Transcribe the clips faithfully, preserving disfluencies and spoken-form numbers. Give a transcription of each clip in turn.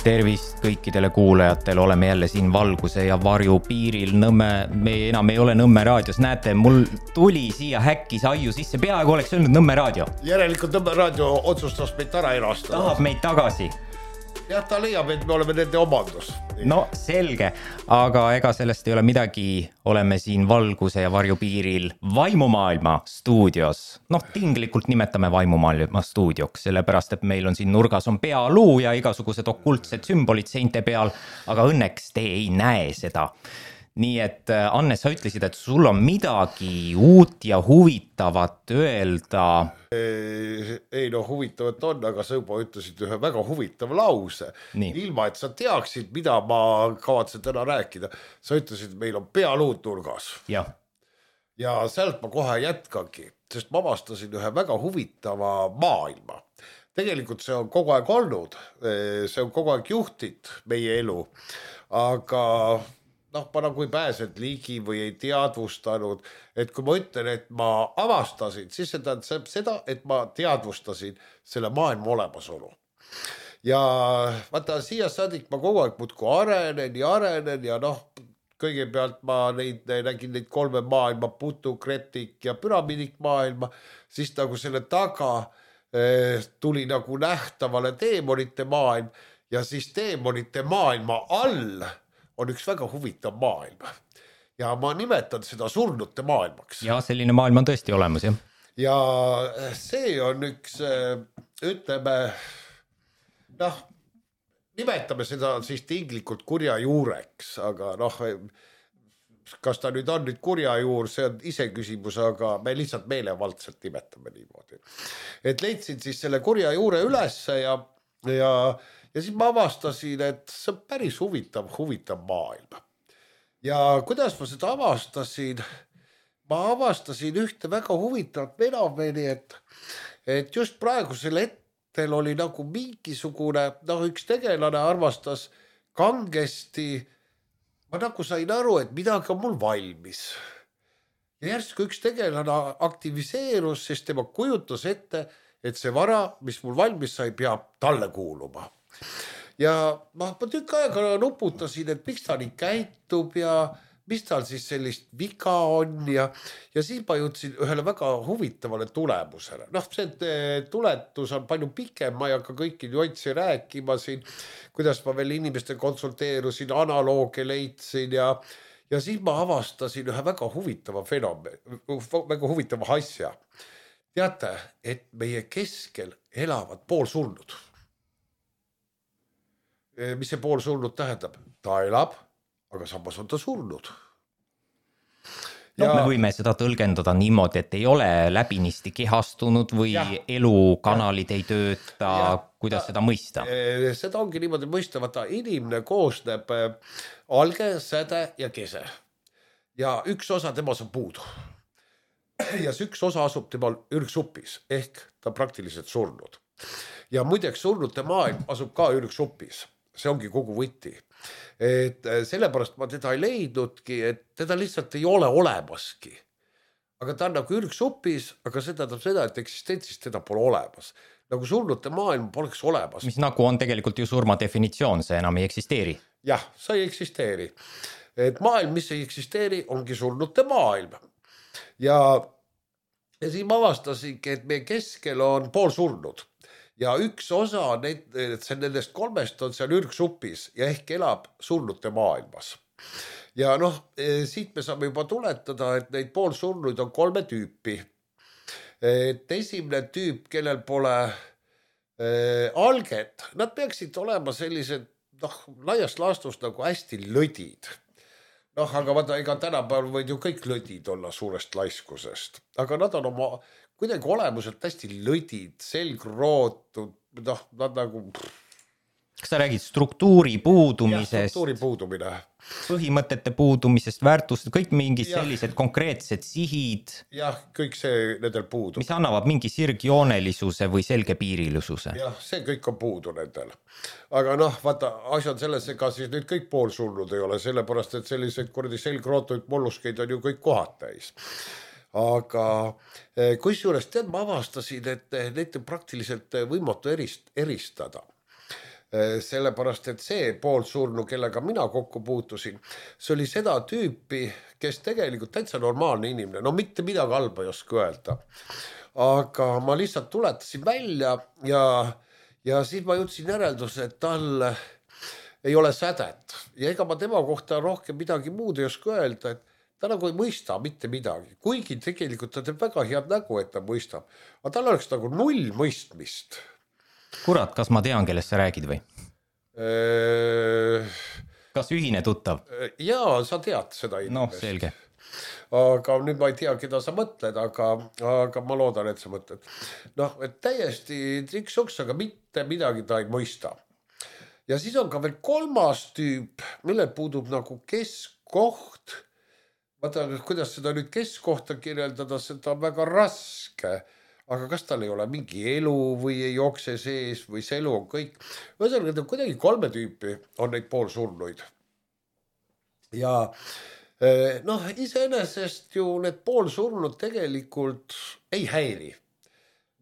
tervist kõikidele kuulajatele, oleme jälle siin valguse ja varju piiril Nõmme, me enam ei ole Nõmme raadios, näete, mul tuli siia häkkis aiu sisse, peaaegu oleks öelnud Nõmme raadio. Järelikult Nõmme raadio otsustas meid ära erastada. Tahab meid tagasi. Jah, ta leiab, et me oleme nende omandus. No selge, aga ega sellest ei ole midagi, oleme siin valguse ja varju piiril Vaimumaailma stuudios. Noh, tinglikult nimetame Vaimumaailma stuudioks, sellepärast, et meil on siin nurgas on pealuu ja igasugused okultsed sümbolid seinte peal, aga õnneks te ei näe seda. Nii et Anne, sa ütlesid, et sul on midagi uut ja huvitavat öelda. Ei no huvitavat on, aga sa juba ütlesid ühe väga huvitava lause. Nii. Ilma, et sa teaksid, mida ma kavatsen täna rääkida. Sa ütlesid, et meil on pealuud nurgas. Ja. ja sealt ma kohe jätkangi, sest ma avastasin ühe väga huvitava maailma. Tegelikult see on kogu aeg olnud, see on kogu aeg juhtit meie elu, aga noh, ma nagu ei pääsed ligi või ei teadvustanud, et kui ma ütlen, et ma avastasin, siis see tähendab seda, et ma teadvustasin selle maailma olemasolu. Ja vaata, siia saadik ma kogu aeg muudku arenen ja arenen ja noh, kõigepealt ma neid, nägin neid kolme maailma, putu, kretik ja püramidik maailma, siis nagu selle taga eh, tuli nagu nähtavale teemonite maailm ja siis teemonite maailma all on üks väga huvitav maailm. Ja ma nimetan seda surnute maailmaks. Ja selline maailm on tõesti olemas, jah. Ja see on üks, ütleme, noh, nimetame seda siis tinglikult kurja juureks, aga noh, kas ta nüüd on nüüd kurja juur, see on ise küsimus, aga me lihtsalt meelevaldselt nimetame niimoodi. Et leidsin siis selle kurja juure ülesse ja, ja Ja siis ma avastasin, et see on päris huvitav, huvitav maailm. Ja kuidas ma seda avastasin? Ma avastasin ühte väga huvitavat fenomeni, et, et just praegusel hetkel oli nagu mingisugune, noh üks tegelane armastas kangesti, ma nagu sain aru, et midagi on mul valmis. Ja järsku üks tegelane aktiviseerus, sest tema kujutas ette, et see vara, mis mul valmis sai, peab talle kuuluma. Ja ma, ma tükk aega nuputasin, et miks ta nii käitub ja mis tal siis sellist viga on ja, ja siis ma jõudsin ühele väga huvitavale tulemusele. Noh, see tuletus on palju pikem, ma ei hakka kõiki nüansse rääkima siin, kuidas ma veel inimeste konsulteerusin, analooge leidsin ja, ja siis ma avastasin ühe väga huvitava fenomen, väga huvitava asja. Teate, et meie keskel elavad poolsurnud. Mis see pool surnud tähendab? Ta elab, aga samas on ta surnud. Ja... No, me võime seda tõlgendada niimoodi, et ei ole läbinisti kehastunud või ja. Elukanalid ei tööta, ja. Kuidas seda mõista? Seda ongi niimoodi mõista, vaata inimene koosneb alge, säde ja kese. Ja üks osa temas on puudu. Ja see üks osa asub temal ürgsupis, ehk ta praktiliselt surnud. Ja muideks surnute maailm asub ka ürgsupis. See ongi kogu võti. Et sellepärast ma teda ei leidnudki, et teda lihtsalt ei ole olemaski. Aga ta on nagu ürgsupis, aga see tähendab seda, et eksistentsist teda pole olemas. Nagu surnute maailm poleks olemas. Mis nagu on tegelikult ju surma definitsioon, see enam ei eksisteeri. Jah, see ei eksisteeri. Et maailm, mis ei eksisteeri, ongi surnute maailm. Ja, ja siin ma avastasingi, et meie keskel on pool surnud. Ja üks osa neid, nendest kolmest on seal ürgsupis ja ehk elab surnute maailmas. Ja noh, siit me saame juba tuletada, et neid pool surnuid on kolme tüüpi. Et esimene tüüp, kellel pole äh, alget, nad peaksid olema sellised noh, laiast laastust nagu hästi lõdid. Noh, aga vaata, ega tänapäeval võid ju kõik lõdid olla suurest laiskusest. Aga nad on oma kuidagi olemuselt hästi lõdid, selgrootud, noh, nad nagu... Kas sa räägid struktuuri puudumisest? Jah, struktuuri puudumine. Põhimõtete puudumisest, väärtust, kõik mingid ja. Sellised konkreetsed sihid. Jah, kõik see nendel puudub. Mis annavad mingi sirgjoonelisuse või selgepiirilisuse. Jah, see kõik on puudu nendel. Aga noh, vaata, asja on selles, ega siis nüüd kõik poolsurnud ei ole, sellepärast, et selliseid kordi selgrootuid molluskeid on ju kõik kohad täis. Aga kus juures tead, ma avastasin, et neid on praktiliselt võimatu erist, eristada. sellepärast, et see poolsurnu, kellega mina kokku puutusin, see oli seda tüüpi, kes tegelikult täitsa normaalne inimene, no mitte midagi halba ei oska öelda. Aga ma lihtsalt tuletasin välja ja, ja siis ma jõudsin järelduse, et tal ei ole sädet ja ega ma tema kohta rohkem midagi muud ei oska öelda, et ta nagu ei mõista mitte midagi, kuigi tegelikult ta teeb väga head nägu, et ta mõistab, aga tal oleks nagu null mõistmist. Kurat, kas ma tean, kellest sa räägid või? Eee... Kas ühine tuttav? Jaa, sa tead seda inimest. No, selge. Aga nüüd ma ei tea, keda sa mõtled, aga, aga ma loodan, et sa mõtled. Noh, et täiesti triksuks, aga mitte midagi ta ei mõista. Ja siis on ka veel kolmas tüüp, millel puudub nagu keskkoht. Vaata, kuidas seda nüüd keskkohta kirjeldada, seda on väga raske. Aga kas tal ei ole mingi elu või ei jookse sees või see elu on kõik. Ühesõnaga, kuidagi kolme tüüpi on neid poolsurnuid. Ja noh, iseenesest ju need poolsurnud tegelikult ei häiri.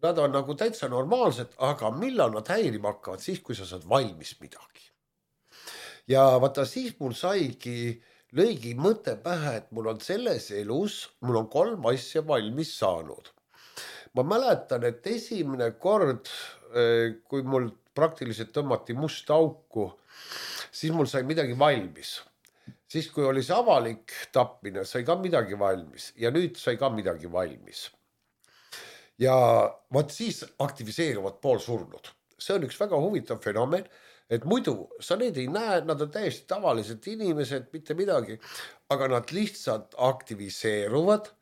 Nad on nagu täitsa normaalsed, aga millal nad häirima hakkavad? Siis, kui sa saad valmis midagi. Ja vaata, siis mul saigi lõigi mõte pähe, et mul on selles elus, mul on kolm asja valmis saanud. Ma mäletan, et esimene kord, kui mul praktiliselt tõmmati must auku, siis mul sai midagi valmis. Siis, kui oli see avalik tapmine, sai ka midagi valmis ja nüüd sai ka midagi valmis. Ja vaat siis aktiviseeruvad poolsurnud. See on üks väga huvitav fenomen, et muidu sa neid ei näe, nad on täiesti tavalised inimesed, mitte midagi, aga nad lihtsalt aktiviseeruvad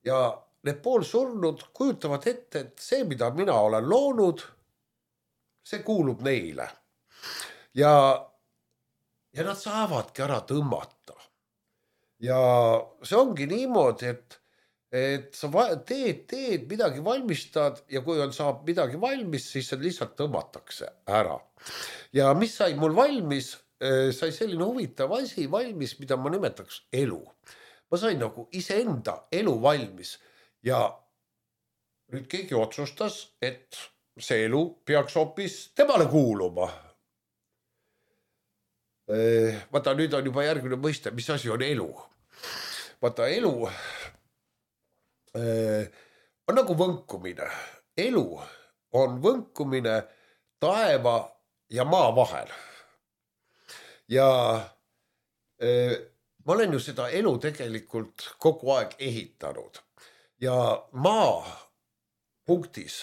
ja need poolsurnud kujutavad ette, et see, mida mina olen loonud, see kuulub neile. Ja, ja nad saavadki ära tõmmata. Ja see ongi niimoodi, et, et sa teed, teed, midagi valmistad ja kui on saab midagi valmis, siis see lihtsalt tõmmatakse ära. Ja mis sai mul valmis, sai selline huvitav asi valmis, mida ma nimetaks elu. Ma sain nagu iseenda elu valmis. Ja nüüd keegi otsustas, et see elu peaks hoopis temale kuuluma. Vaata, nüüd on juba järgmine mõiste, mis asi on elu. Vaata, elu on nagu võnkumine. Elu on võnkumine taeva ja maa vahel. Ja ma olen ju seda elu tegelikult kogu aeg ehitanud. Ja maa punktis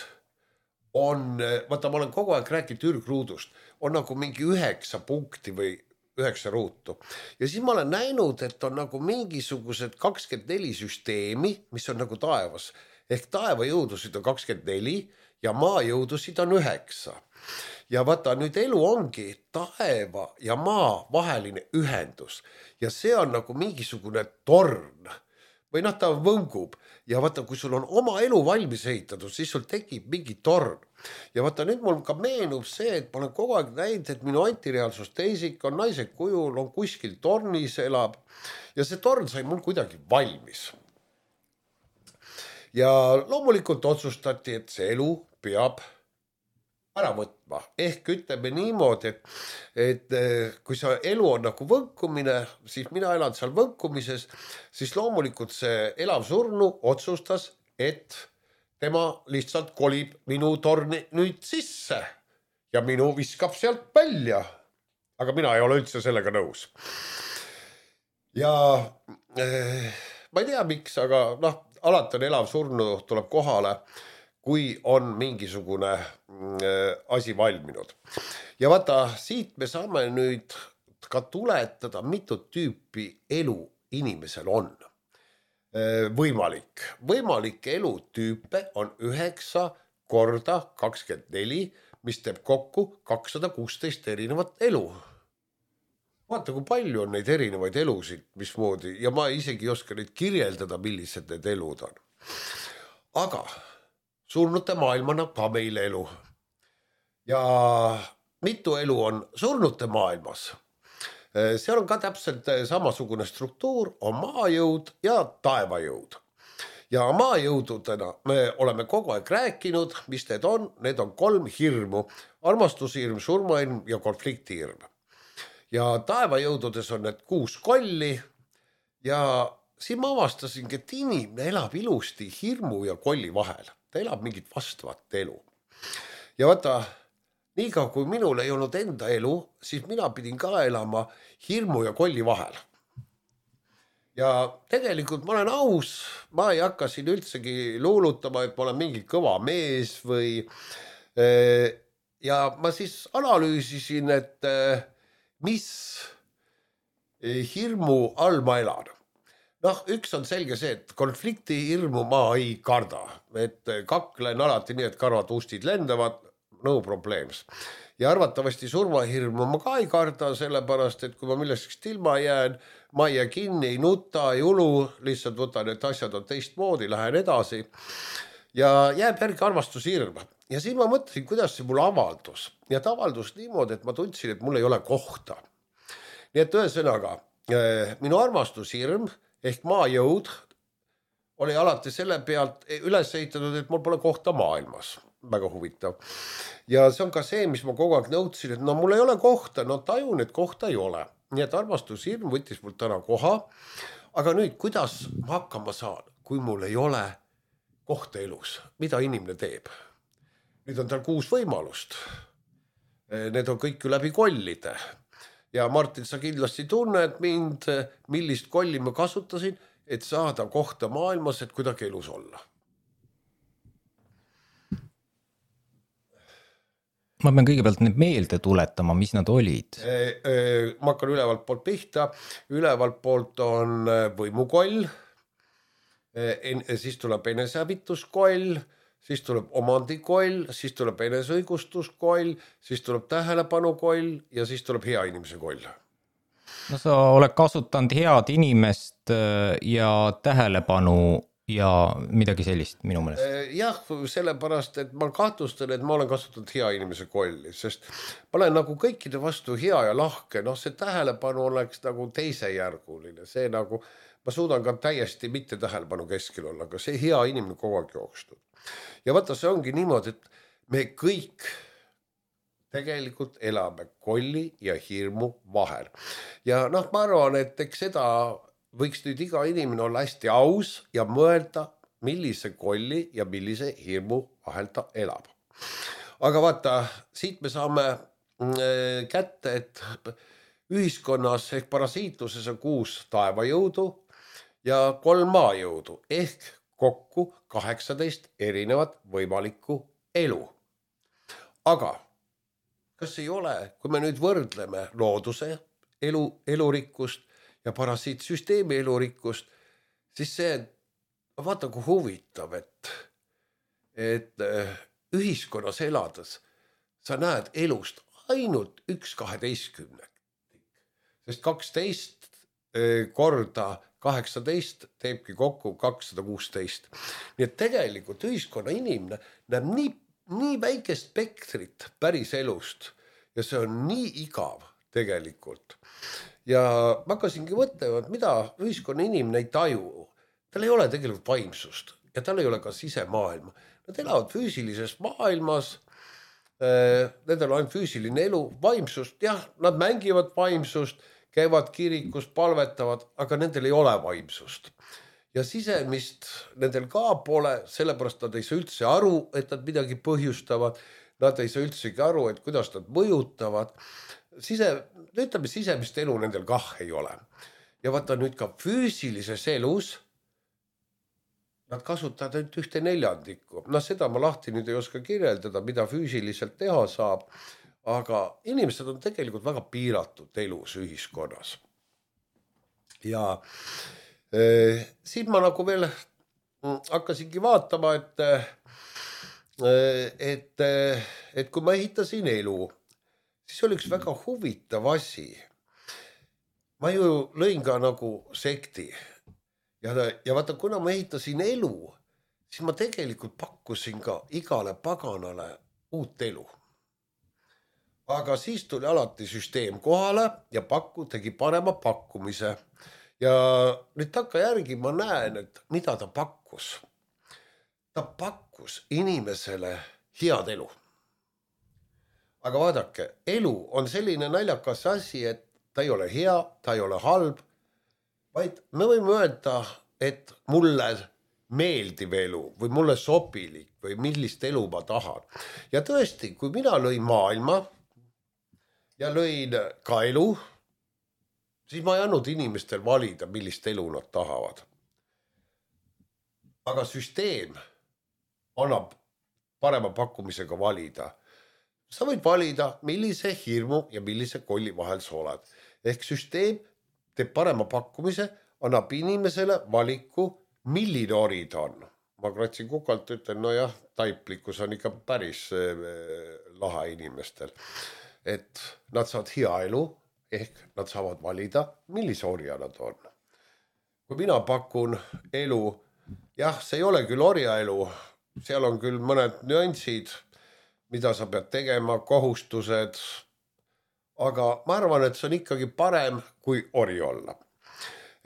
on, vaata, ma olen kogu aeg rääkinud ürgruudust, on nagu mingi üheksa punkti või üheksa ruutu. Ja siis ma olen näinud, et on nagu mingisugused kakskümmend neli süsteemi, mis on nagu taevas. Ehk taeva jõudusid on kakskümmend neli ja maa jõudusid on üheksa. Ja vaata, nüüd elu ongi taeva ja maa vaheline ühendus. Ja see on nagu mingisugune torn. Või noh, ta võngub ja vaata, kui sul on oma elu valmis ehitatud, siis sul tekib mingi torn. Ja vaata, nüüd mul ka meenub see, et ma olen kogu aeg näinud, et minu antireaalsus teisik on naise kujul, on kuskil tornis elab ja see torn sai mul kuidagi valmis. Ja loomulikult otsustati, et see elu peab ära võtma. Ehk ütleme niimoodi, et, et kui see elu on nagu võnkumine, siis mina elan seal võnkumises, siis loomulikult see elav surnu otsustas, et tema lihtsalt kolib minu torni nüüd sisse ja minu viskab sealt välja. Aga mina ei ole üldse sellega nõus. Ja eh, ma ei tea miks, aga noh, alati on elav surnu tuleb kohale, kui on mingisugune asi valminud. Ja vaata, siit me saame nüüd ka tuletada, mitut tüüpi elu inimesel on võimalik. Võimalik elutüüpe on üheksa korda kakskümmend neli, mis teeb kokku kakssada kuusteist erinevat elu. Vaata, kui palju on neid erinevaid elusid, mismoodi, ja ma isegi ei oska neid kirjeldada, millised need elud on. Aga surnute maailmana ka meile elu. Ja mitu elu on surnute maailmas. Seal on ka täpselt samasugune struktuur, on maajõud ja taevajõud. ja maajõududena me oleme kogu aeg rääkinud, mis need on, need on kolm hirmu, armastushirm, surmahirm ja konfliktihirm. Ja taevajõududes on need kuus kolli ja siin ma avastasingi, et inimene elab ilusti hirmu ja kolli vahel. Ta elab mingit vastavat elu. Ja vaata, niikaua kui minul ei olnud enda elu, siis mina pidin ka elama hirmu ja kolli vahel. Ja tegelikult ma olen aus, ma ei hakka siin üldsegi luulutama, et ma olen mingi kõva mees või ja ma siis analüüsisin, et mis hirmu all ma elan. Noh, üks on selge see, et konflikti hirmu ma ei karda, et kaklen alati nii, et karvad ustid lendavad, no probleems. Ja arvatavasti surmahirmu ma ka ei karda, sellepärast, et kui ma millestki ilma jään, ma ei jää kinni, ei nuta, ei ulu, lihtsalt võtan, et asjad on teistmoodi, lähen edasi ja jääb järgi armastushirm. Ja siin ma mõtlesin, kuidas see mul avaldus. Ja ta avaldus niimoodi, et ma tundsin, et mul ei ole kohta. Nii et ühesõnaga, minu armastushirm ehk maajõud oli alati selle pealt üles ehitatud, et mul pole kohta maailmas. Väga huvitav. Ja see on ka see, mis ma kogu aeg nõudsin, et no mul ei ole kohta, no tajun, et kohta ei ole. Nii et armastushirm võttis mul täna koha. Aga nüüd, kuidas ma hakkama saan, kui mul ei ole kohta elus? Mida inimene teeb? Nüüd on tal kuus võimalust. Need on kõik läbi kollide. Ja Martin, sa kindlasti tunned mind, millist kolli ma kasutasin, et saada kohta maailmas, et kuidagi elus olla. Ma pean kõigepealt need meelde tuletama, mis nad olid. Ma hakkan ülevalt poolt pihta. Ülevalt poolt on võimukoll, siis tuleb enesehävituskoll, siis tuleb omandikoll, siis tuleb eneseõigustuskoll, siis tuleb tähelepanukoll ja siis tuleb hea inimese koll. No sa oled kasutanud head inimest ja tähelepanu ja midagi sellist minu meelest. Jah, sellepärast, et ma kahtlustan, et ma olen kasutanud hea inimese kolli, sest ma olen nagu kõikide vastu hea ja lahke, noh see tähelepanu oleks nagu teisejärguline, see nagu, ma suudan ka täiesti mitte tähelepanu keskel olla, aga see hea inimene kogu aeg jookstud. Ja vaata, see ongi niimoodi, et me kõik tegelikult elame kolli ja hirmu vahel. Ja noh, ma arvan, et eks seda võiks nüüd iga inimene olla hästi aus ja mõelda, millise kolli ja millise hirmu vahel ta elab. Aga vaata, siit me saame kätte, et ühiskonnas ehk parasiitluses on kuus taevajõudu ja kolm maajõudu ehk kokku kaheksateist erinevat võimalikku elu. Aga kas ei ole, kui me nüüd võrdleme looduse elu, elurikkust ja parasiitsüsteemi elurikkust, siis see, vaata kui huvitav, et, et ühiskonnas elades sa näed elust ainult üks kaheteistkümne. Sest kaksteist korda kaheksateist teebki kokku kakssada kuusteist. Nii et tegelikult ühiskonna inimene näeb nii, nii väikest spektrit päris elust ja see on nii igav tegelikult. Ja ma hakkasingi mõtlema, et mida ühiskonna inimene ei taju. Tal ei ole tegelikult vaimsust ja tal ei ole ka sisemaailma. Nad elavad füüsilises maailmas, nendel on füüsiline elu, vaimsust, jah, nad mängivad vaimsust, käivad kirikus, palvetavad, aga nendel ei ole vaimsust. Ja sisemist nendel ka pole, sellepärast nad ei saa üldse aru, et nad midagi põhjustavad. Nad ei saa üldsegi aru, et kuidas nad mõjutavad. Sise, ütleme, sisemist elu nendel kah ei ole. Ja vaata nüüd ka füüsilises elus nad kasutavad ainult ühte neljandikku. No seda ma lahti nüüd ei oska kirjeldada, mida füüsiliselt teha saab. Aga inimesed on tegelikult väga piiratud elus ühiskonnas. Ja eh, siin ma nagu veel hakkasingi vaatama, et, et, et kui ma ehitasin elu, siis oli üks väga huvitav asi. Ma ju lõin ka nagu sekti. Ja, ja vaata, kuna ma ehitasin elu, siis ma tegelikult pakkusin ka igale paganale uut elu. Aga siis tuli alati süsteem kohale ja pakku, tegi parema pakkumise. Ja nüüd takka järgi ma näen, et mida ta pakkus. pakkus? Ta pakkus inimesele head elu. Aga vaadake, elu on selline naljakas asi, et ta ei ole hea, ta ei ole halb, vaid me võime öelda, et mulle meeldiv elu või mulle sobilik või millist elu ma tahan. Ja tõesti, kui mina lõin maailma ja lõin ka elu, siis ma ei andnud inimestel valida, millist elu nad tahavad. Aga süsteem annab parema pakkumisega valida. Sa võid valida, millise hirmu ja millise kolli vahel sa oled. Ehk süsteem teeb parema pakkumise, annab inimesele valiku, milline ori ta on. Ma kratsin kukalt, ütlen, no jah, taiplikkus on ikka päris lahe inimestel. Et nad saavad hea elu, ehk nad saavad valida, millise orja nad on. Kui mina pakun elu, jah, see ei ole küll orja elu, seal on küll mõned nüansid, mida sa pead tegema, kohustused, aga ma arvan, et see on ikkagi parem kui ori olla.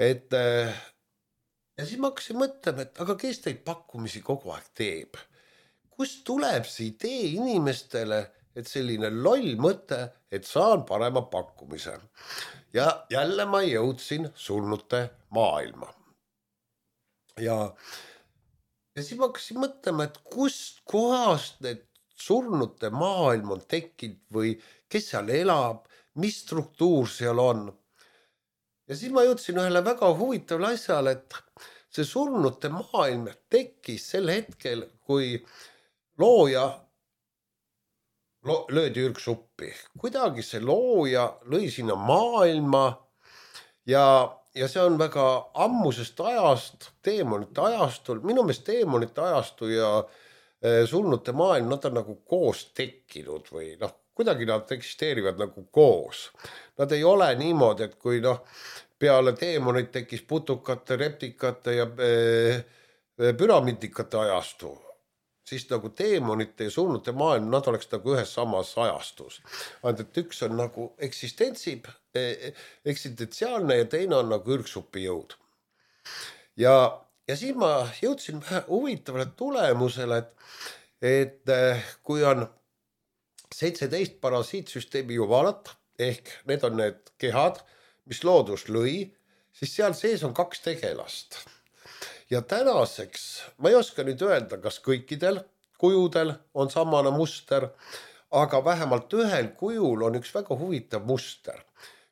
Et, ja siis ma hakkasin mõtlema, et aga kes teid pakkumisi kogu aeg teeb? Kust tuleb see idee inimestele, et selline loll mõte, et saan parema pakkumise? Ja jälle ma jõudsin surnute maailma. Ja, ja siis ma hakkasin mõtlema, et kust kohast need surnute maailm on tekkinud või kes seal elab, mis struktuur seal on. Ja siis ma jõudsin ühele väga huvitavale asjale, et see surnute maailm tekkis sel hetkel, kui looja lo löödi ürgsuppi. Kuidagi see looja lõi sinna maailma ja, ja see on väga ammusest ajast, teemonite ajastul, minu meelest teemonite ajastu ja surnute maailm, nad on nagu koos tekkinud või noh, kuidagi nad eksisteerivad nagu koos. Nad ei ole niimoodi, et kui noh, peale teemonid tekkis putukate, reptikate ja püramidikate ajastu, siis nagu teemonite ja surnute maailm, nad oleks nagu ühes samas ajastus. Ainult, et üks on nagu eksistensib, eksistentsiaalne ja teine on nagu ürgsupi jõud. Ja Ja siis ma jõudsin huvitavale tulemusele, et, et kui on seitseteist parasiitsüsteemi jumalat, ehk need on need kehad, mis loodus lõi, siis seal sees on kaks tegelast. Ja tänaseks, ma ei oska nüüd öelda, kas kõikidel kujudel on samane muster, aga vähemalt ühel kujul on üks väga huvitav muster.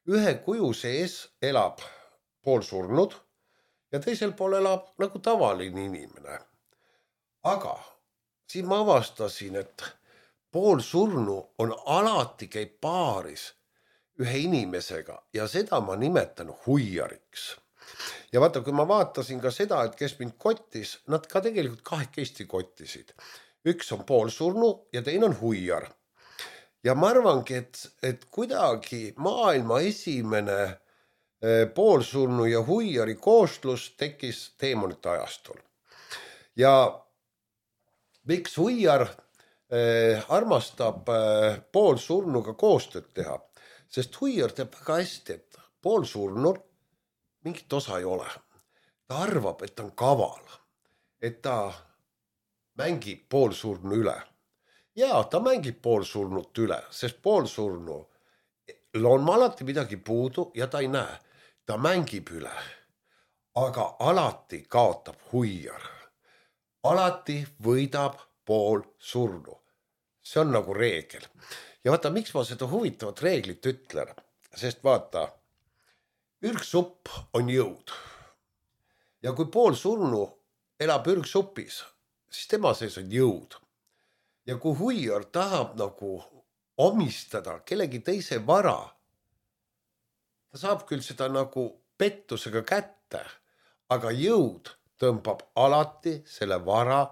Ühe kuju sees elab poolsurnud, ja teisel pool elab nagu tavaline inimene. Aga siin ma avastasin, et pool surnu on alati käib paaris ühe inimesega ja seda ma nimetan huiariks. Ja vaata, kui ma vaatasin ka seda, et kes mind kottis, nad ka tegelikult kahekesti kottisid. Üks on pool surnu ja teine on huiar. Ja ma arvangi, et, et kuidagi maailma esimene poolsurnu ja huiari koostlus tekkis teemonite ajastul. Ja miks huiar eh, armastab eh, poolsurnuga koostööd teha? Sest huiar teab väga hästi, et poolsurnul mingit osa ei ole. Ta arvab, et ta on kaval, et ta mängib poolsurnu üle. Ja ta mängib poolsurnut üle, sest poolsurnu on alati midagi puudu ja ta ei näe. Ta mängib üle, aga alati kaotab huiar. Alati võidab pool surnu. See on nagu reegel. Ja vaata, miks ma seda huvitavat reeglit ütlen? Sest vaata, ürgsupp on jõud. Ja kui pool surnu elab ürgsupis, siis tema sees on jõud. Ja kui huiar tahab nagu omistada kellegi teise vara, ta saab küll seda nagu pettusega kätte, aga jõud tõmbab alati selle vara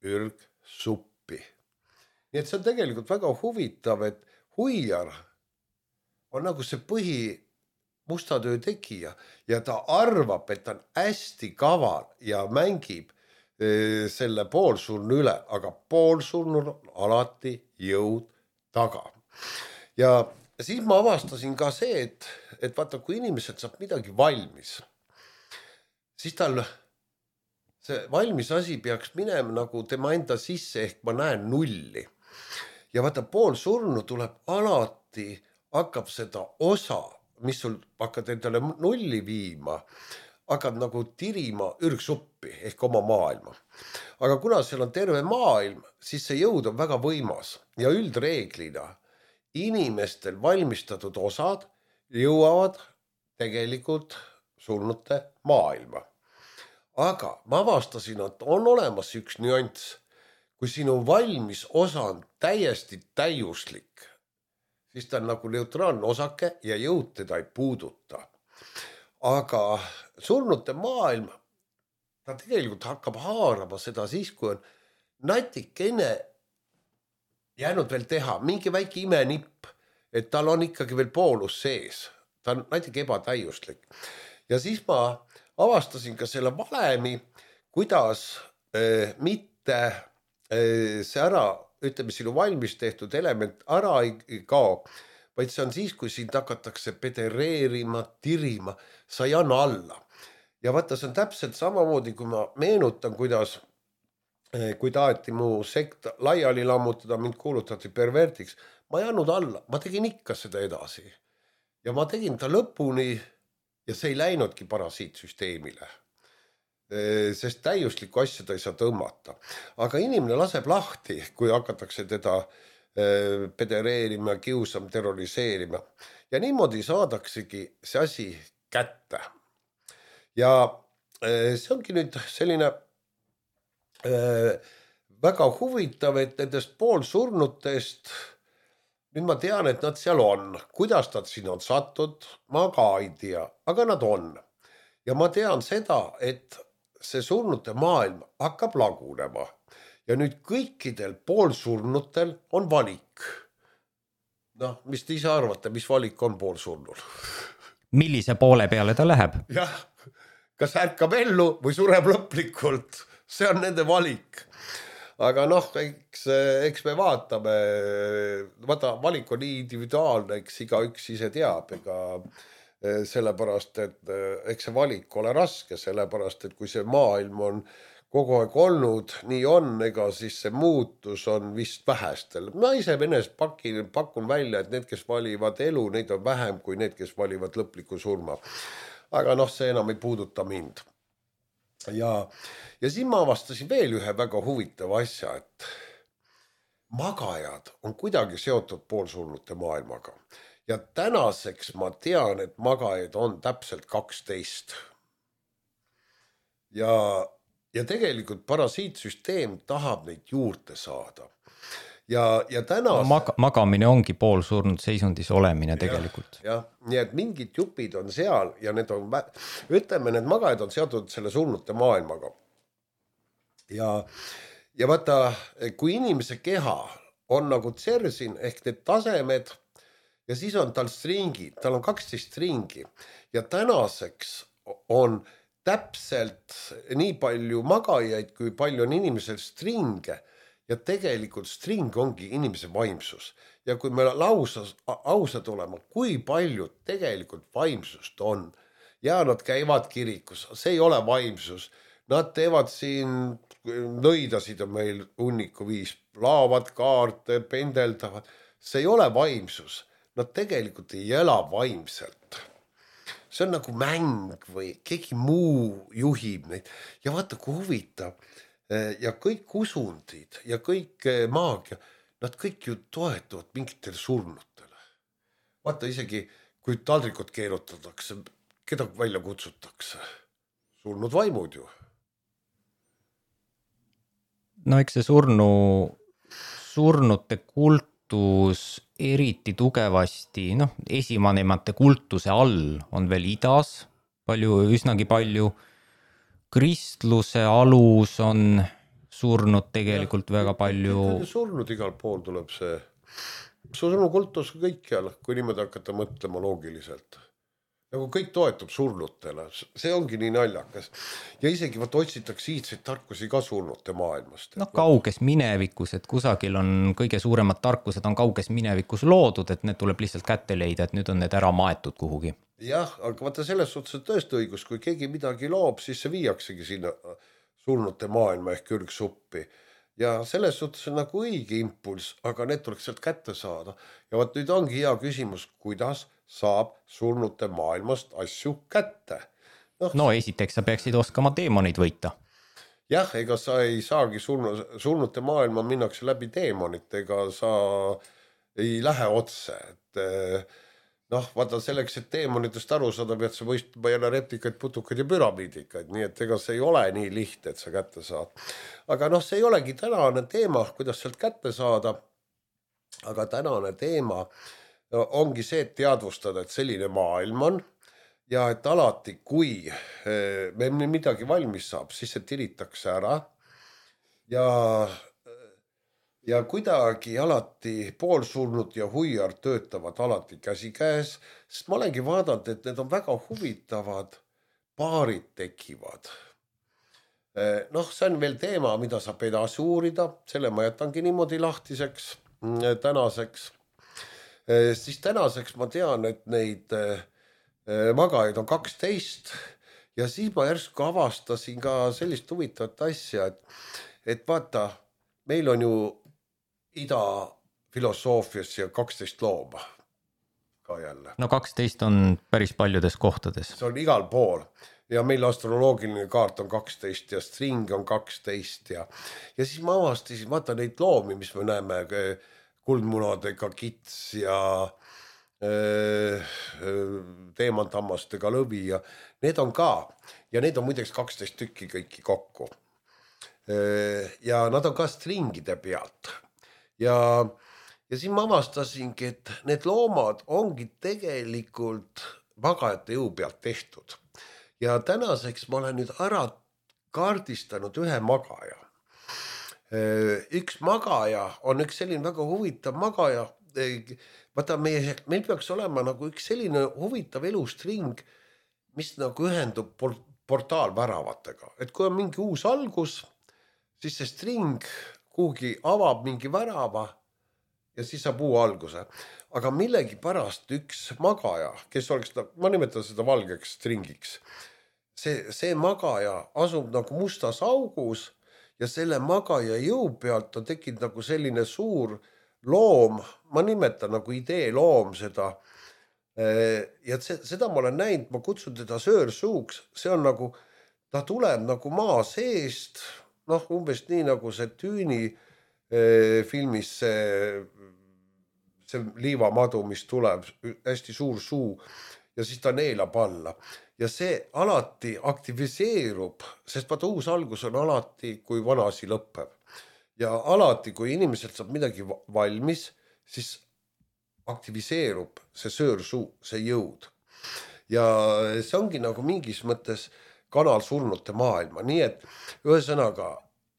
ürgsuppi. Nii et see on tegelikult väga huvitav, et huiar on nagu see põhi mustatöö tegija ja ta arvab, et ta on hästi kaval ja mängib e, selle poolsurnu üle, aga poolsurnul on alati jõud taga. Ja siis ma avastasin ka see, et, et vaata, kui inimesed saab midagi valmis, siis tal see valmis asi peaks minema nagu tema enda sisse, ehk ma näen nulli. Ja vaata, pool surnu tuleb alati, hakkab seda osa, mis sul hakkad endale nulli viima, hakkad nagu tirima ürgsuppi ehk oma maailma. Aga kuna seal on terve maailm, siis see jõud on väga võimas ja üldreeglina inimestel valmistatud osad jõuavad tegelikult surnute maailma. Aga ma avastasin, et on olemas üks nüanss. Kui sinu valmis osa on täiesti täiuslik, siis ta on nagu neutraalne osake ja jõud teda ei puuduta. Aga surnute maailm, ta tegelikult hakkab haarama seda siis, kui on natikene jäänud veel teha, mingi väike imenipp, et tal on ikkagi veel poolus sees. Ta on natuke ebatäiuslik. Ja siis ma avastasin ka selle valemi, kuidas äh, mitte äh, see ära, ütleme, sinu valmis tehtud element ära ei kao, vaid see on siis, kui sind hakatakse pedereerima, tirima, sa ei anna alla. Ja vaata, see on täpselt samamoodi, kui ma meenutan, kuidas kui taheti mu sekta laiali lammutada, mind kuulutati pervertiks, ma ei andnud alla, ma tegin ikka seda edasi. Ja ma tegin ta lõpuni ja see ei läinudki parasiitsüsteemile, sest täiuslikku asja ta ei saa tõmmata. Aga inimene laseb lahti, kui hakatakse teda pedereerima, kiusama, terroriseerima. Ja niimoodi saadaksegi see asi kätte. Ja see ongi nüüd selline väga huvitav, et nendest poolsurnutest nüüd ma tean, et nad seal on. Kuidas nad siin on sattud, ma ka ei tea, aga nad on. Ja ma tean seda, et see surnute maailm hakkab lagunema. Ja nüüd kõikidel poolsurnutel on valik. Noh, mis te ise arvate, mis valik on poolsurnul? Millise poole peale ta läheb? Jah, kas ärkab ellu või sureb lõplikult? See on nende valik. Aga noh, eks, eks me vaatame, vaata, valik on nii individuaalne, eks iga üks ise teab, ega sellepärast, et eks see valik ole raske, sellepärast, et kui see maailm on kogu aeg olnud, nii on, ega siis see muutus on vist vähestel. Ma ise venest pakin, pakun välja, et need, kes valivad elu, neid on vähem kui need, kes valivad lõpliku surma. Aga noh, see enam ei puuduta mind. Ja, ja siin ma avastasin veel ühe väga huvitava asja, et magajad on kuidagi seotud poolsurnute maailmaga. Ja tänaseks ma tean, et magajaid on täpselt kaksteist. Ja, ja tegelikult parasiitsüsteem tahab neid juurde saada. Ja, ja tänas... no, mag magamine ongi poolsurnud seisundis olemine tegelikult. Jah, ja, nii et mingid jupid on seal ja need on, ütleme, need magajad on seotud selle surnute maailmaga. Ja, ja vaata, kui inimese keha on nagu tsersin ehk need tasemed ja siis on tal stringid, tal on kaksteist stringi ja tänaseks on täpselt nii palju magajaid, kui palju on inimesel stringe. Ja tegelikult string ongi inimese vaimsus. Ja kui me lausas, ausad olema, kui palju tegelikult vaimsust on. Ja nad käivad kirikus, see ei ole vaimsus. Nad teevad siin, nõidasid on meil hunniku viis, laavad kaarte, pendeldavad. See ei ole vaimsus. Nad tegelikult ei ela vaimselt. See on nagu mäng või keegi muu juhib neid. Ja vaata, kui huvitav. Ja kõik usundid ja kõik maagia, nad kõik ju toetuvad mingitele surnutele. Vaata isegi, kui taldrikut keerutatakse, keda välja kutsutakse? Surnud vaimud ju. No eks see surnu, surnute kultus eriti tugevasti, noh, esivanemate kultuse all on veel idas, palju, üsnagi palju. Kristluse alus on surnud tegelikult ja, väga palju. Surnud igal pool tuleb see. Surnu kultus kõikjal, kui niimoodi hakata mõtlema loogiliselt. Nagu kõik toetub surnutele, see ongi nii naljakas. Ja isegi vaat otsitakse iidseid tarkusi ka surnute maailmast. No kauges minevikus, et kusagil on kõige suuremad tarkused on kauges minevikus loodud, et need tuleb lihtsalt kätte leida, et nüüd on need ära maetud kuhugi. Jah, aga vaata selles suhtes on tõesti õigus, kui keegi midagi loob, siis see viiaksegi sinna surnute maailma ehk ürgsuppi ja selles suhtes on nagu õige impulss, aga need tuleks sealt kätte saada. Ja võt nüüd ongi hea küsimus, kuidas saab surnute maailmast asju kätte. No, no esiteks sa peaksid oskama teemonid võita. Jah, ega sa ei saagi surnu, surnute maailma minnakse läbi teemonit, ega sa ei lähe otse. Et, noh, vaata selleks, et teemonitest aru saada, pead sa võistma jälle replikaid, putukaid ja püramiidikaid, nii et ega see ei ole nii lihtne, et sa kätte saad. Aga noh, see ei olegi tänane teema, kuidas sealt kätte saada, aga tänane teema ongi see, et teadvustada, et selline maailm on ja et alati, kui me midagi valmis saab, siis see tiritakse ära ja Ja kuidagi alati poolsurnud ja huiar töötavad alati käsikäes, sest ma olengi vaadanud, et need on väga huvitavad, paarid tekivad. Noh, see on veel teema, mida saab edasi uurida, selle ma jätangi niimoodi lahtiseks tänaseks. Siis tänaseks ma tean, et neid magajaid on kaksteist ja siis ma järsku avastasin ka sellist huvitavat asja, et, et vaata, meil on ju ida filosoofias ja kaksteist looma ka jälle. No kaksteist on päris paljudes kohtades. See on igal pool ja meil astroloogiline kaart on kaksteist ja string on kaksteist ja, ja siis ma avastasin, vaata neid loomi, mis me näeme, kuldmunadega kits ja teemantammastega lõvi ja need on ka ja need on muideks kaksteist tükki kõiki kokku. Ja nad on ka stringide pealt. Ja, ja siin ma avastasingi, et need loomad ongi tegelikult magajate jõu pealt tehtud. Ja tänaseks ma olen nüüd ära kaardistanud ühe magaja. Üks magaja on üks selline väga huvitav magaja. Vaata, meie, meil peaks olema nagu üks selline huvitav elustring, mis nagu ühendub portaalväravatega. Et kui on mingi uus algus, siis see string kuhugi avab mingi värava ja siis saab uue alguse. Aga millegi pärast üks magaja, kes oleks, ma nimetan seda valgeks stringiks, see, see magaja asub nagu mustas augus ja selle magaja jõu pealt on tekkinud nagu selline suur loom, ma nimetan nagu idee loom seda. Ja see, seda ma olen näinud, ma kutsun teda söörsuuks, see on nagu, ta tuleb nagu maa seest, noh, umbes nii nagu see Tüüni eh, filmis see, see liivamadu, mis tuleb, hästi suur suu ja siis ta neelab alla. Ja see alati aktiviseerub, sest vaata uus algus on alati, kui vana asi lõpeb. Ja alati, kui inimeselt saab midagi valmis, siis aktiviseerub see söörsuu, see jõud. Ja see ongi nagu mingis mõttes kanal surnute maailma, nii et ühesõnaga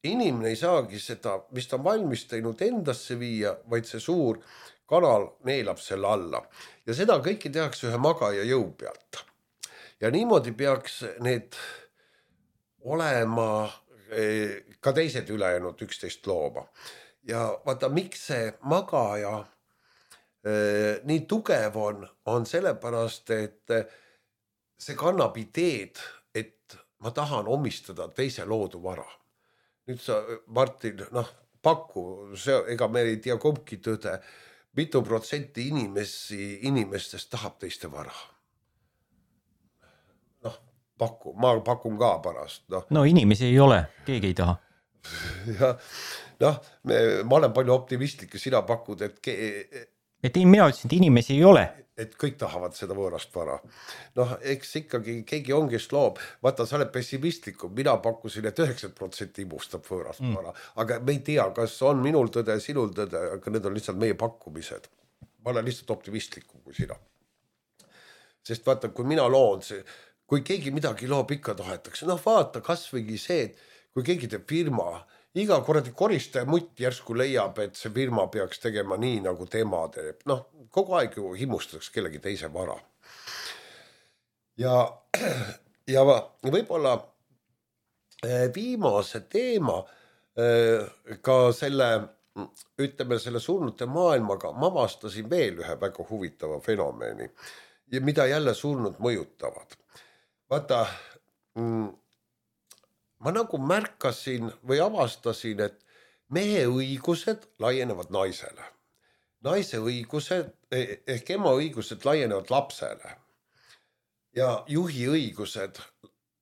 inimene ei saagi seda, mis ta on valmis teinud endasse viia, vaid see suur kanal neelab selle alla. Ja seda kõiki tehakse ühe magaja jõu pealt. Ja niimoodi peaks need olema ka teised ülejäänud üksteist looma. Ja vaata, miks see magaja eh, nii tugev on, on sellepärast, et see kannab ideed, et ma tahan omistada teise loodu vara. Nüüd sa, Martin, noh, paku, see, ega me ei tea kumbki tõde, mitu protsenti inimesi, inimestest tahab teiste vara. Noh, paku, ma pakun ka pärast. No, no inimesi ei ole, keegi ei taha. Ja, noh, me, ma olen palju optimistlik ja sina pakud, et... Ke... Et mina ütlesin, et inimesi ei ole. Et kõik tahavad seda võõrast vara. Noh, eks ikkagi keegi on, kes loob. Vaata, sa oled pessimistlikum. Mina pakkusin, et üheksakümmend protsenti imustab võõrast mm. vara. Aga me ei tea, kas on minul tõde, sinul tõde, aga need on lihtsalt meie pakkumised. Ma olen lihtsalt optimistlikum kui sina. Sest vaata, kui mina loon, see, kui keegi midagi loob, ikka tahetakse. Noh, vaata, kas võigi see, et kui keegi teeb firma, iga korrati koristaja mutt järsku leiab, et see firma peaks tegema nii, nagu tema teeb. Noh, kogu aeg ju himustatakse kellegi teise vara. Ja, ja võib-olla viimase teema ka selle, ütleme selle surnute maailmaga, ma avastasin veel ühe väga huvitava fenomeni, mida jälle surnud mõjutavad. Vaata, ma nagu märkasin või avastasin, et mehe õigused laienevad naisele. Naise õigused ehk ema õigused laienevad lapsele ja juhi õigused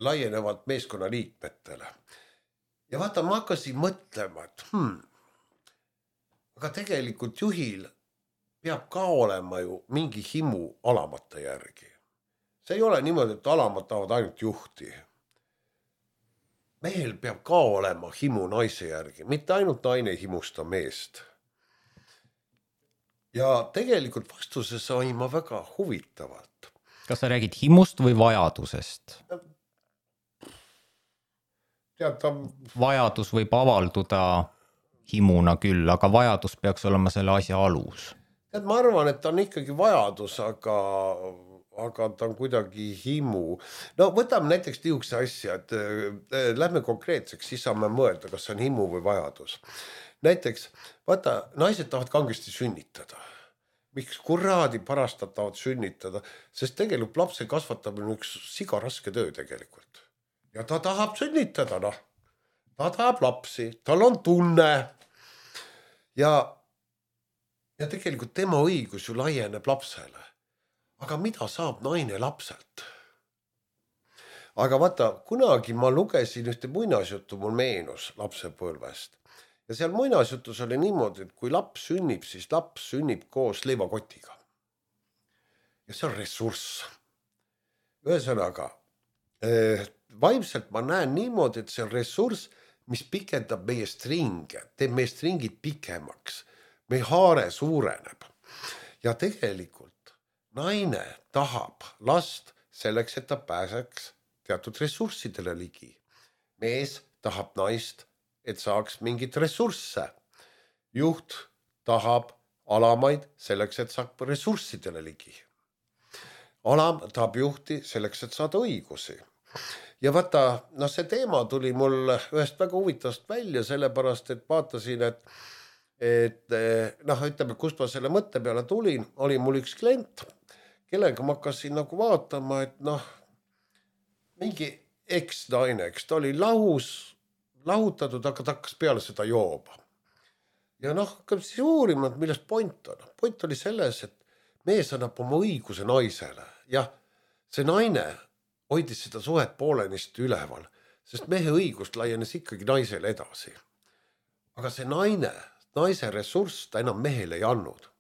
laienevad meeskonna liikmetele. Ja vaata, ma hakkasin mõtlema, et hmm, aga tegelikult juhil peab ka olema ju mingi himu alamate järgi. See ei ole niimoodi, et alamad tahavad ainult juhti. Mehel peab ka olema himu naise järgi, mitte ainult naine himusta meest. Ja tegelikult vastuse sain ma väga huvitavalt. Kas sa räägid himust või vajadusest? Tead, ta... Vajadus võib avalduda himuna küll, aga vajadus peaks olema selle asja alus. Tead, ma arvan, et ta on ikkagi vajadus, aga, aga ta on kuidagi himu. No võtame näiteks niisuguse asja, et äh, lähme konkreetseks, siis saame mõelda, kas see on himu või vajadus. Näiteks, vaata, naised tahavad kangesti sünnitada. Miks kuradi parastad tahavad sünnitada? Sest tegelikult lapse kasvatamine on üks siga raske töö tegelikult. Ja ta tahab sünnitada, noh. Ta tahab lapsi, tal on tunne. Ja, ja tegelikult tema õigus ju laieneb lapsele. Aga mida saab naine lapselt? Aga vaata, kunagi ma lugesin ühte muinasjuttu, mul meenus lapsepõlvest. Ja seal muinasjutus oli niimoodi, et kui laps sünnib, siis laps sünnib koos leivakotiga. Ja see on ressurss. Ühesõnaga, vaimselt ma näen niimoodi, et see on ressurss, mis pikendab meie stringe, teeb meie stringid pikemaks. Meie haare suureneb. Ja tegelikult naine tahab last selleks, et ta pääseks teatud ressurssidele ligi. Mees tahab naist, et saaks mingit ressursse. Juht tahab alamaid selleks, et saab ressurssidele ligi. Alam tahab juhti selleks, et saada õigusi. Ja vaata, no see teema tuli mul ühest väga huvitavast välja, sellepärast, et vaatasin, et, et noh, ütleme, kust ma selle mõtte peale tulin, oli mul üks klient, kellega ma hakkasin nagu vaatama, et noh, mingi eks-naine, eks ta oli lahus, lahutatud, aga ta hakkas peale seda jooba. Ja noh, hakkab siis uurima, et millest point on. Point oli selles, et mees annab oma õiguse naisele. Jah, see naine hoidis seda suhet poolenist üleval, sest mehe õigust laienes ikkagi naisele edasi. Aga see naine, naise ressurss ta enam mehele ei andnud.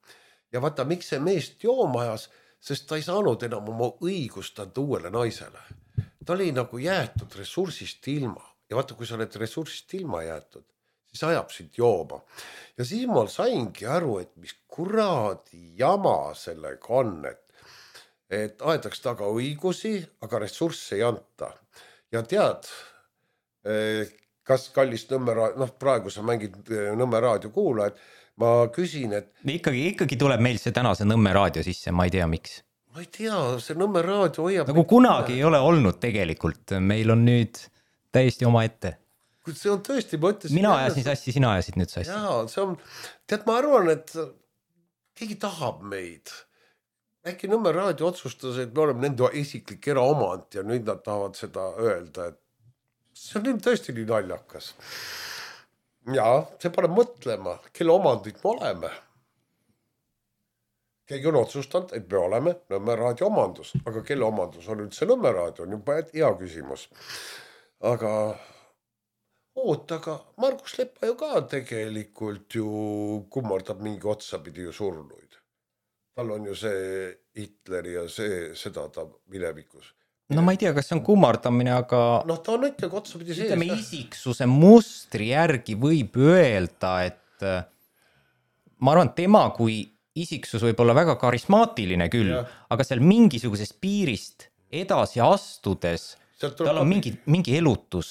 Ja vaata, miks see meest jooma ajas, sest ta ei saanud enam oma õigust anda uuele naisele. Ta oli nagu jäetud ressursist ilma. Ja vaata, kui sa oled ressursist ilma jäetud, siis ajab sind jooma. Ja siis ma saingi aru, et mis kuradi jama sellega on, et, et aedaks taga õigusi, aga ressursse ei anta. Ja tead, kas kallis Nõmme, noh praegu sa mängid Nõmme raadio kuula, et ma küsin, et... Ikkagi, ikkagi tuleb meil see tänase Nõmme raadio sisse, ma ei tea miks. Ma ei tea, see Nõmme raadio hoiab... Nagu kunagi ei ole olnud tegelikult, meil on nüüd... täiesti oma ette. See on tõesti, ma ütlesin... Mina ajasin sassi, sina ajasid nüüd sassi. Jaa, see on... Tead, ma arvan, et keegi tahab meid. Äkki Nõmme raadio otsustas, et me oleme nende isiklik eraomand ja nüüd nad tahavad seda öelda, et see on tõesti nii naljakas. Jaa, see paneb mõtlema, kelle omandid me oleme. Keegi on otsustanud, et me oleme Nõmme raadio omandus, aga kelle omandus on üldse Nõmme raadio, on juba hea küsimus. Aga oot, aga Margus Lepa ju ka tegelikult ju kummardab mingi otsapidi ju surnuid. Tal on ju see Hitler ja see, seda ta minevikus. No ma ei tea, kas see on kummardamine, aga... Noh, ta on ikkagi otsapidi sees. Ütleme isiksuse mustri järgi võib öelda, et ma arvan, tema kui isiksus võib olla väga karismaatiline küll, ja. Aga seal mingisugusest piirist edasi astudes... Tal on mingi, mingi elutus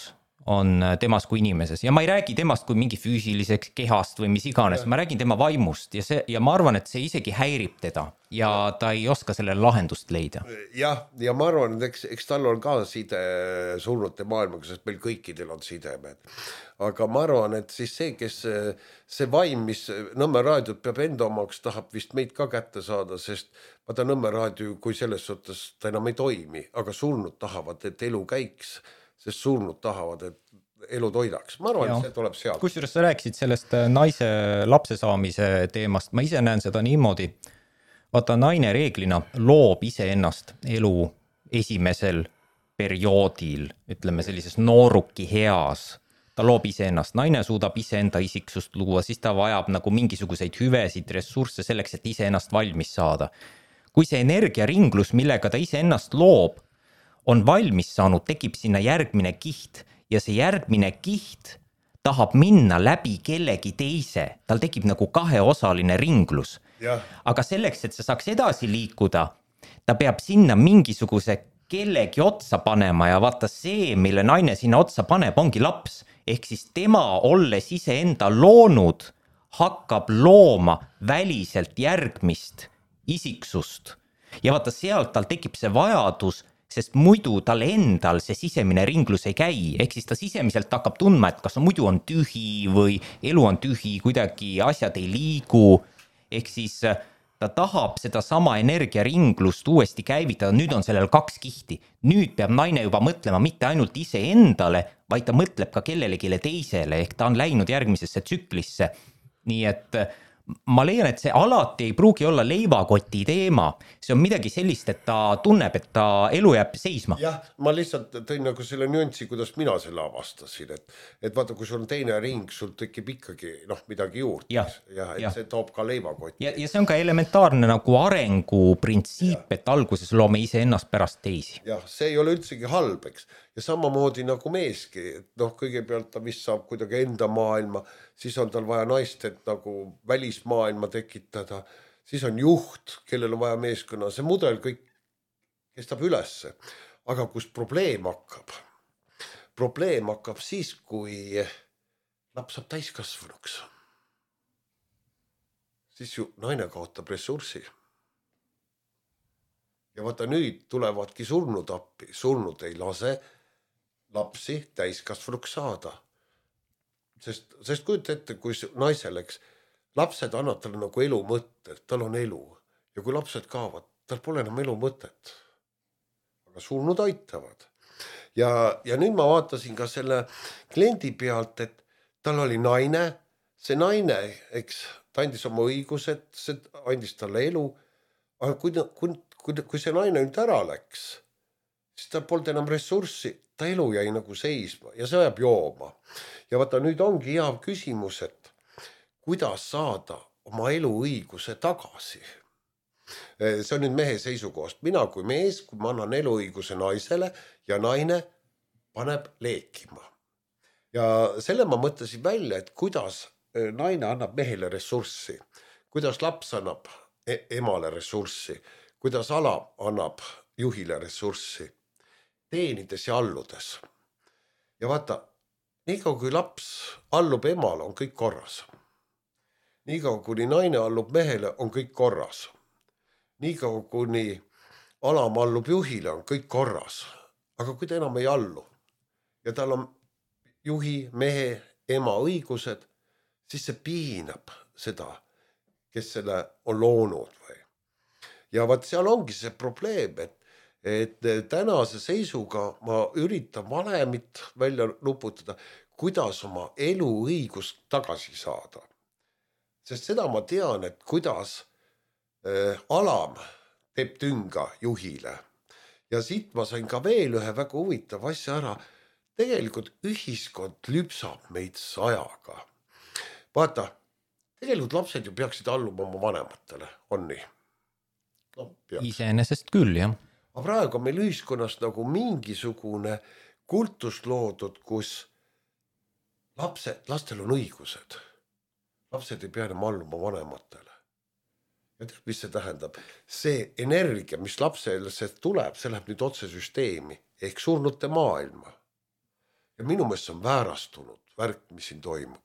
on temas kui inimeses ja ma ei räägi temast kui mingi füüsiliseks kehast või mis iganes, ja. Ma räägin tema vaimust ja, see, ja ma arvan, et see isegi häirib teda ja ta ei oska sellele lahendust leida. Jah, ja ma arvan, et eks, eks tal on ka side surnute maailmaga, sest meil kõikidel on sidemed. Aga ma arvan, et siis see, kes see vaim, mis Nõmme raadiot peab enda omaks, tahab vist meid ka kätte saada, sest vaata Nõmme raadio, kui selles suhtes ta enam ei toimi, aga surnud tahavad, et elu käiks, sest surnud tahavad, et elu toidaks. Ma arvan, Jaa. et see tuleb sealt. Kusjuures sa rääkisid sellest naise lapse saamise teemast, ma ise näen seda niimoodi. Vaata, naine reeglina loob iseennast elu esimesel perioodil, ütleme sellises nooruki heas. Ta loob iseennast, naine suudab iseenda isiksust luua, siis ta vajab nagu mingisuguseid hüvesid, ressursse selleks, et iseennast valmis saada. Kui see energiaringlus, millega ta iseennast loob, on valmis saanud, tekib sinna järgmine kiht ja see järgmine kiht tahab minna läbi kellegi teise. Tal tekib nagu kaheosaline ringlus. Ja. Aga selleks, et see saaks edasi liikuda, ta peab sinna mingisuguse kellegi otsa panema ja vaata see, mille naine sinna otsa paneb, ongi laps. Ehk siis tema, olles iseenda loonud, hakkab looma väliselt järgmist isiksust. Ja vaata, sealt tal tekib see vajadus, sest muidu tal endal see sisemine ringlus ei käi. Ehk siis ta sisemiselt hakkab tundma, et kas muidu on tühi või elu on tühi, kuidagi asjad ei liigu. Ehk siis ta tahab seda sama energiaringlust uuesti käivitada. Nüüd on sellel kaks kihti. Nüüd peab naine juba mõtlema mitte ainult ise endale, vaid ta mõtleb ka kellelegi teisele. Ehk ta on läinud järgmisesse tsüklisse. Nii et ma leian, et see alati ei pruugi olla leivakoti teema. See on midagi sellist, et ta tunneb, et ta elu jääb seisma. Jah, ma lihtsalt tõin nagu selle nüanssi, kuidas mina selle avastasin. Et, et vaata, kui sul on teine ring, sul tekib ikkagi noh, midagi juurde. Ja, ja, et ja. see toob ka leivakoti. Ja, ja see on ka elementaarne nagu arengu printsiip, et alguses loome ise ennast pärast teisi. Jah, see ei ole üldsegi halb, eks. Ja samamoodi nagu meeski, et noh, kõigepealt ta vist saab kuidagi enda maailma, siis on tal vaja naist, et nagu välismaailma tekitada, siis on juht, kellel on vaja meeskonna, see mudel kõik kestab ülesse. Aga kus probleem hakkab? Probleem hakkab siis, kui laps saab täiskasvanuks. Siis ju naine kaotab ressurssi. Ja vaata nüüd tulevadki surnud appi, surnud ei lase lapsi täiskasvanuks saada. Sest, sest kujut ette, kui naiseleks lapsed annab talle nagu elu mõtted, tal on elu. Ja kui lapsed kaovad, tal pole enam elu mõtet. Aga surnud aitavad. Ja, ja nüüd ma vaatasin ka selle kliendi pealt, et tal oli naine, see naine, eks, ta andis oma õigused, see andis talle elu, aga kui, kui, kui, kui see naine nüüd ära läks, siis tal polnud enam ressurssi, ta elu jäi nagu seisma ja see ajab jooma. Ja vaata, nüüd ongi hea küsimus, et kuidas saada oma elu õiguse tagasi. See on nüüd mehe seisukohast. Mina kui mees, kui ma annan elu õiguse naisele ja naine paneb leekima. Ja selle ma mõtlesin välja, et kuidas naine annab mehele ressurssi, kuidas laps annab emale ressurssi, kuidas ala annab juhile ressurssi, teenides ja alludes. Ja vaata, niikaua kui laps allub emale, on kõik korras. Niikaua kuni naine allub mehele, on kõik korras. Niikaua kuni alam allub juhile, on kõik korras. Aga kui ta enam ei allu ja tal on juhi, mehe, ema õigused, siis see piinab seda, kes selle on loonud. Või. Ja vaat seal ongi see probleem, et, et tänase seisuga ma üritan valemit välja nuputada, kuidas oma elu õigust tagasi saada. Sest seda ma tean, et kuidas äh, alam teeb tünga juhile. Ja siit ma sain ka veel ühe väga huvitav asja ära. Tegelikult ühiskond lüpsab meid sajaga. Vaata, tegelikult lapsed ju peaksid alluma oma vanematele, on nii? No, iseenesest küll, jah. Aga praegu on meil ühiskonnas nagu mingisugune kultus loodud, kus lapsed, lastel on õigused. Lapsed ei pea enam alluma vanematele. Ja tead, mis see tähendab? See energia, mis lapsele tuleb, see läheb nüüd otse süsteemi ehk surnute maailma. Ja minu meelest on väärastunud värk, mis siin toimub.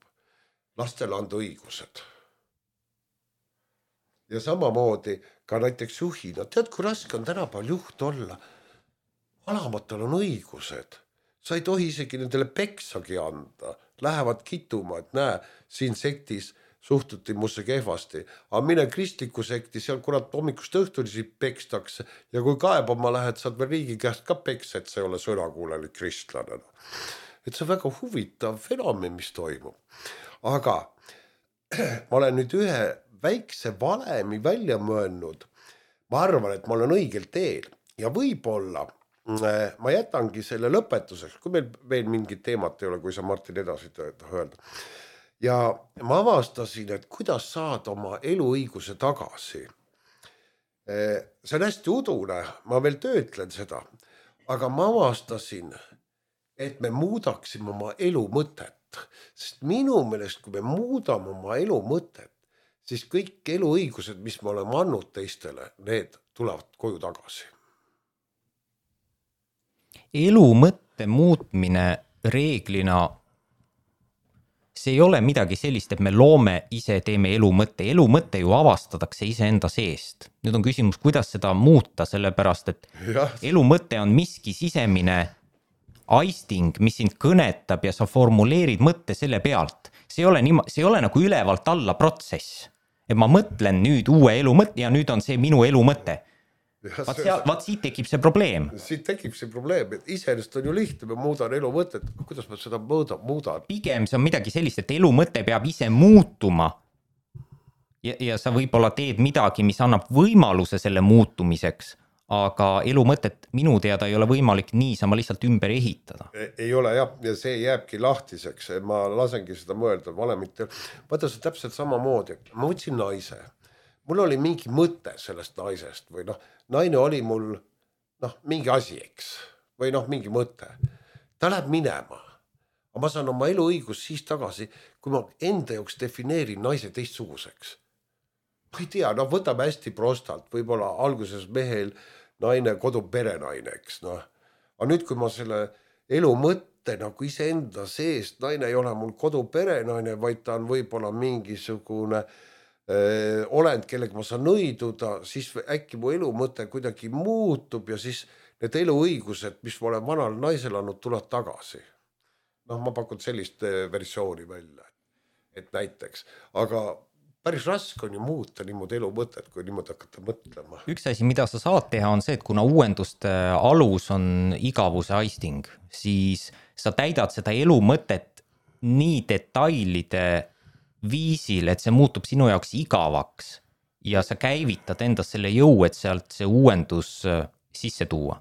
Lastele anda õigused. Ja samamoodi ka näiteks juhina. Tead, kui raske on tänapäeval juht olla? Alamatel on õigused. Sa ei tohi isegi nendele peksagi anda. Lähevad kituma, et näe, siin sektis suhtuti musse kehvasti, aga mine kristliku sekti, seal kurat hommikust õhtuni siit pekstakse ja kui kaebama lähed, saad veel riigi käest ka peks, et see ei ole sõnakuulelik kristlane. Et see on väga huvitav fenomen, mis toimub. Aga ma olen nüüd ühe väikse valemi välja mõelnud. Ma arvan, et ma olen õigel teel ja võib-olla ma jätangi selle lõpetuseks, kui meil veel mingid teemat ei ole, kui sa Martin edasi öelda. Ja ma avastasin, et kuidas saad oma eluõiguse tagasi. See on hästi udune, ma veel töötlen seda, aga ma avastasin, et me muudaksime oma elu mõtet. Sest minu meelest, kui me muudame oma elu mõtet, siis kõik eluõigused, mis me oleme andnud teistele, need tulevad koju tagasi. Elu mõtte muutmine reeglina, see ei ole midagi sellist, et me loome ise, teeme elu mõtte. Elu mõtte ju avastatakse ise enda seest. Nüüd on küsimus, kuidas seda muuta, sellepärast, et ja. Elu mõte on miski sisemine aisting, mis sind kõnetab ja sa formuleerid mõtte selle pealt. See ei ole, nii, see ei ole nagu ülevalt alla protsess. Et ma mõtlen nüüd uue elu mõtte ja nüüd on see minu elu mõte. Vaat, seal, vaat siit tekib see probleem. Siit tekib see probleem, et iseenesest on ju lihtne, ma muudan elu mõtet, kuidas ma seda muudan, muudan. Pigem see on midagi sellist, et elu mõte peab ise muutuma ja, ja sa võib-olla teed midagi, mis annab võimaluse selle muutumiseks, aga elu mõtet minu teada ei ole võimalik niisama lihtsalt ümber ehitada. Ei ole jah, ja see jääbki lahtiseks, ma lasengi seda mõelda valemit. Vaata see täpselt sama moodi, ma võtsin naise. Mul oli mingi mõte sellest naisest või noh, naine oli mul noh, mingi asi, eks, või noh, mingi mõte. Ta läheb minema, aga ma saan oma eluõigus siis tagasi, kui ma enda jaoks defineerin naise teistsuguseks. Ma ei tea, noh, võtame hästi prostalt, võib-olla alguses mehel naine, kodu perenaine, eks, noh. Aga nüüd, kui ma selle elu mõtte nagu ise enda seest, naine ei ole mul kodu perenaine, vaid ta on võib-olla mingisugune öö, olend, kellega ma saan nõiduda, siis äkki mu elu mõte kuidagi muutub ja siis need eluõigused, mis ma olen vanal naisel andnud, tuleb tagasi. Noh, ma pakun sellist versiooni välja, et näiteks, aga päris raske on ju muuta niimoodi elu mõtet, kui niimoodi hakata mõtlema. Üks asi, mida sa saad teha, on see, et kuna uuenduste alus on igavuse aisting, siis sa täidad seda elu mõtet nii detailide viisil, et see muutub sinu jaoks igavaks ja sa käivitad endas selle jõu, et sealt see uuendus sisse tuua.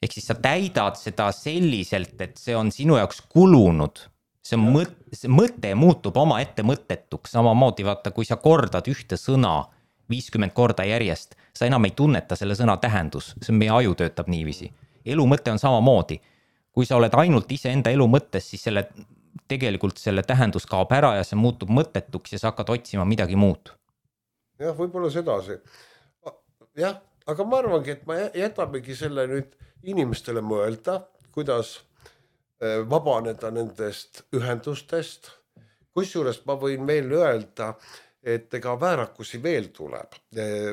Ehk siis sa täidad seda selliselt, et see on sinu jaoks kulunud. See, mõt, see mõte muutub oma ette mõttetuks, samamoodi vaata, kui sa kordad ühte sõna viiskümmend korda järjest, sa enam ei tunneta selle sõna tähendus, see meie aju töötab niiviisi. Elu mõte on samamoodi. Kui sa oled ainult ise enda elu mõttes, siis selle, tegelikult selle tähendus kaob ära ja see muutub mõttetuks ja sa hakkad otsima midagi muud. Jah, võib-olla sedasi. Jah, aga ma arvangi, et ma jätamegi selle nüüd inimestele mõelda, kuidas vabaneda nendest ühendustest. Kusjuures ma võin veel öelda, et ega väärakusi veel tuleb.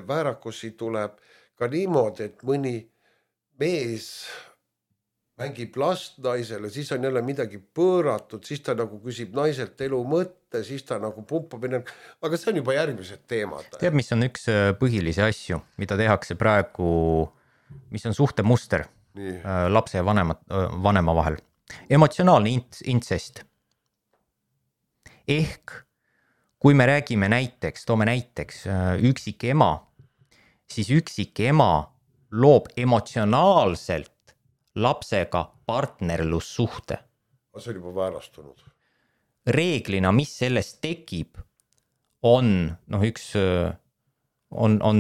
Väärakusi tuleb ka niimoodi, et mõni mees mängib last naisele, siis on jälle midagi pööratud, siis ta nagu küsib naiselt elu mõtte, siis ta nagu pumpab, aga see on juba järgmised teemad. Tead, mis on üks põhilisi asju, mida tehakse praegu, mis on suhtemuster Nii. lapse ja vanema, vanema vahel? Emotsionaalne intsest. Ehk kui me räägime näiteks, toome näiteks üksik ema, siis üksik ema loob emotsionaalselt lapsega partnerlussuhte. See on juba väärastunud. Reeglina, mis sellest tekib, on, noh üks, on, on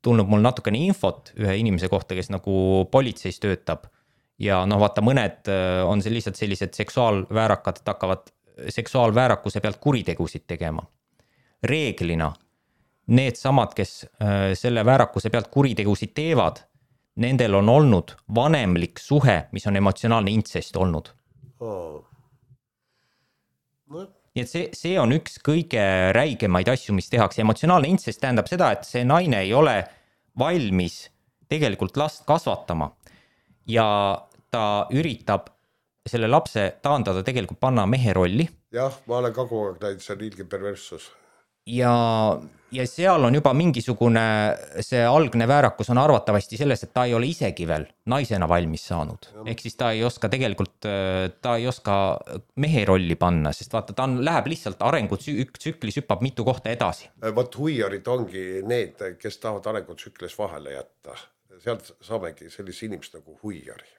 tulnud mul natukene infot ühe inimese kohta, kes nagu politseis töötab. Ja noh, vaata, mõned on see lihtsalt sellised seksuaalväärakad, et hakkavad seksuaalväärakuse pealt kuritegusid tegema. Reeglina need samad, kes selle väärakuse pealt kuritegusid teevad, nendel on olnud vanemlik suhe, mis on emotsionaalne intsest olnud. Oh. No. Nii et see, see on üks kõige räigemaid asju, mis tehakse. Emotsionaalne intsest tähendab seda, et see naine ei ole valmis tegelikult last kasvatama. Ja ta üritab selle lapse taandada tegelikult panna mehe rolli. jah, ma olen ka kogu aeg näinud, see on ilge perverssus. Ja, ja seal on juba mingisugune, see algne väärakus on arvatavasti selles, et ta ei ole isegi veel naisena valmis saanud. Ehk siis ta ei oska tegelikult, ta ei oska mehe rolli panna, sest vaata, ta on, läheb lihtsalt arengut tsüklis hüppab mitu kohta edasi. Vot huiarid ongi need, kes tahavad arengut tsüklis vahele jätta. Sealt saamegi sellise inimest nagu huiari.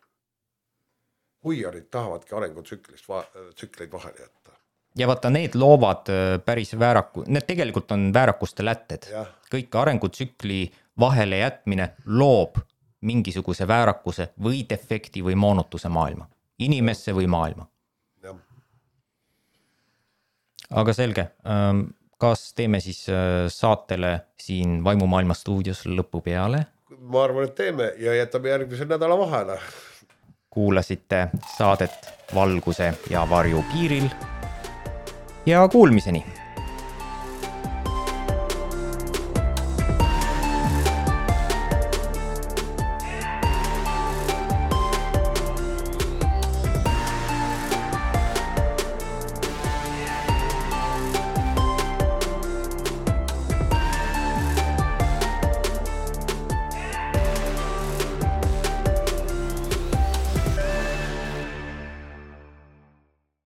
Huiarid tahavadki arengut tsüklist va- tsükleid vahele jätta. Ja vaata, need loovad päris vääraku, need tegelikult on väärakuste lätted. Ja. Kõik arengutsükli vahele jätmine loob mingisuguse väärakuse või defekti või moonutuse maailma. Inimesse või maailma. Ja. Aga selge, kas teeme siis saatele siin Vaimumaailma stuudios lõpu peale? Ma arvan, et teeme ja jätame järgmise nädala vahele. Kuulasite saadet Valguse ja varju piiril. Ja kuulmiseni!